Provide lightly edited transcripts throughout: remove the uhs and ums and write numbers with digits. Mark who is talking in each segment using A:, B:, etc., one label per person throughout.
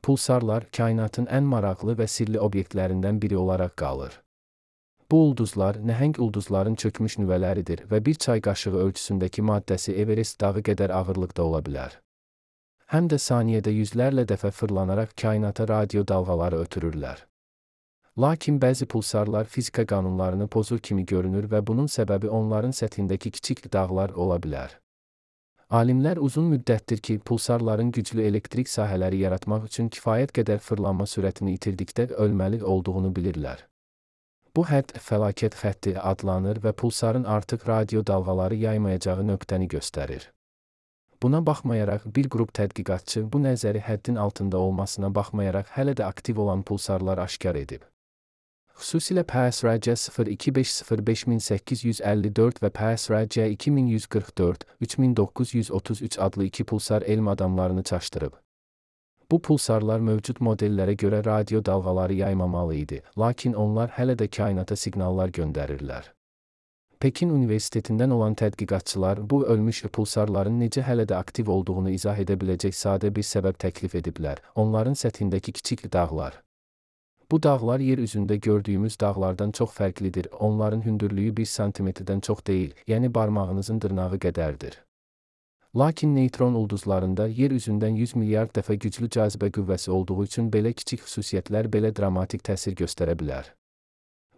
A: Pulsarlar kainatın ən maraqlı və sirli obyektlərindən biri olaraq qalır. Bu ulduzlar nəhəng ulduzların çökmüş nüvələridir və bir çay qaşığı ölçüsündəki maddəsi Everest dağı qədər ağırlıqda ola bilər. Həm də saniyədə yüzlərlə dəfə fırlanaraq kainata radio dalğaları ötürürlər. Lakin bəzi pulsarlar fizika qanunlarını pozur kimi görünür və bunun səbəbi onların səthindəki kiçik dağlar ola bilər. Alimlər uzun müddətdir ki, pulsarların güclü elektrik sahələri yaratmaq üçün kifayət qədər fırlanma sürətini itirdikdə ölməli olduğunu bilirlər. Bu hədd fəlakət xətti adlanır və pulsarın artıq radio dalğaları yaymayacağı nöqtəni göstərir. Buna baxmayaraq bir qrup tədqiqatçı bu nəzəri həddin altında olmasına baxmayaraq hələ də aktiv olan pulsarlar aşkar edib. Xüsusilə PSRC 02505854 və PSRC 2144-3933 adlı iki pulsar elm adamlarını çaşdırıb. Bu pulsarlar mövcud modellərə görə radio dalğaları yaymamalı idi, lakin onlar hələ də kainata siqnallar göndərirlər. Pekin Universitetindən olan tədqiqatçılar bu ölmüş pulsarların necə hələ də aktiv olduğunu izah edə biləcək sadə bir səbəb təklif ediblər: onların səthindəki kiçik dağlar. Bu dağlar yer üzündə gördüyümüz dağlardan çox fərqlidir, onların hündürlüyü 1 santimetrdən çox deyil, yəni barmağınızın dırnağı qədərdir. Lakin neytron ulduzlarında yer üzündən 100 milyard dəfə güclü cazibə qüvvəsi olduğu üçün belə kiçik xüsusiyyətlər belə dramatik təsir göstərə bilər.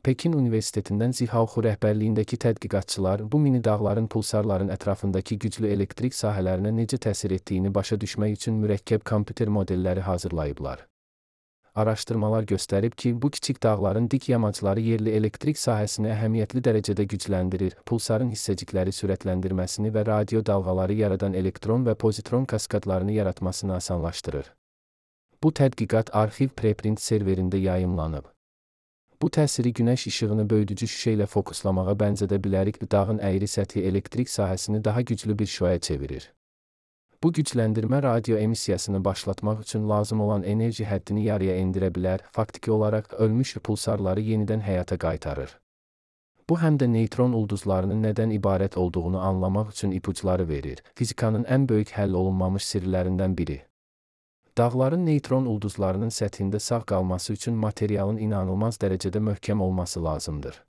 A: Pekin Universitetindən Zihao rəhbərliyindəki tədqiqatçılar bu mini dağların pulsarların ətrafındakı güclü elektrik sahələrinə necə təsir etdiyini başa düşmək üçün mürəkkəb kompüter modelləri hazırlayıblar. Araşdırmalar göstərib ki, bu kiçik dağların dik yamacları yerli elektrik sahəsini əhəmiyyətli dərəcədə gücləndirir, pulsarın hissəcikləri sürətləndirməsini və radio dalğaları yaradan elektron və pozitron kaskadlarını yaratmasını asanlaşdırır. Bu tədqiqat arxiv preprint serverində yayımlanıb. Bu təsiri günəş işığını böyüdücü şüşə ilə fokuslamağa bənzədə bilərik, dağın əyri səthi elektrik sahəsini daha güclü bir şüaya çevirir. Bu gücləndirmə radio emissiyasını başlatmaq üçün lazım olan enerji həddini yarıya endirə bilər, faktiki olaraq ölmüş pulsarları yenidən həyata qaytarır. Bu həm də neytron ulduzlarının nədən ibarət olduğunu anlamaq üçün ipuçları verir, fizikanın ən böyük həll olunmamış sirlərindən biri. Dağların neytron ulduzlarının səthində sağ qalması üçün materialın inanılmaz dərəcədə möhkəm olması lazımdır.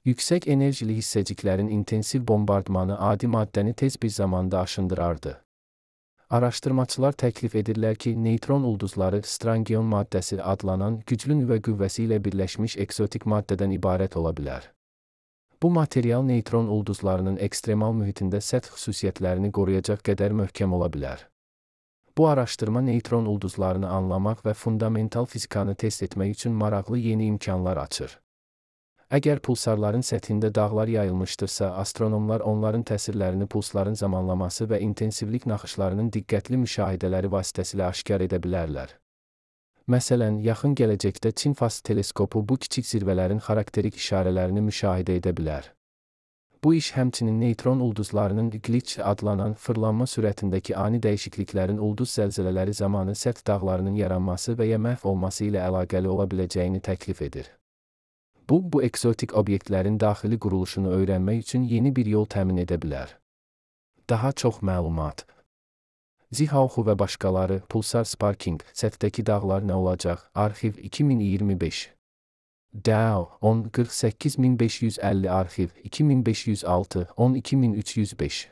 A: Yüksək enerjili hissəciklərin intensiv bombardmanı adi maddəni tez bir zamanda aşındırardı. Araşdırmaçılar təklif edirlər ki, neytron ulduzları strangion maddəsi adlanan güclü nüvə qüvvəsi ilə birləşmiş eksotik maddədən ibarət ola bilər. Bu material neytron ulduzlarının ekstremal mühitində səth xüsusiyyətlərini qoruyacaq qədər möhkəm ola bilər. Bu araşdırma neytron ulduzlarını anlamaq və fundamental fizikanı test etmək üçün maraqlı yeni imkanlar açır. Əgər pulsarların səthində dağlar yayılmışdırsa, astronomlar onların təsirlərini pulsların zamanlaması və intensivlik naxışlarının diqqətli müşahidələri vasitəsilə aşkar edə bilərlər. Məsələn, yaxın gələcəkdə Çin FAST teleskopu bu kiçik zirvələrin xarakterik işarələrini müşahidə edə bilər. Bu iş həmçinin neytron ulduzlarının glitch adlanan fırlanma sürətindəki ani dəyişikliklərin ulduz zəlzələləri zamanı səth dağlarının yaranması və ya məhv olması ilə əlaqəli ola biləcəyini təklif edir. Bu eksotik obyektlərin daxili quruluşunu öyrənmək üçün yeni bir yol təmin edə bilər. Daha çox məlumat. Zihao və başqaları, Pulsar Sparking, səthdəki dağlar nə olacaq? Arxiv 2025. DAO 10 48550 arxiv 2506 12305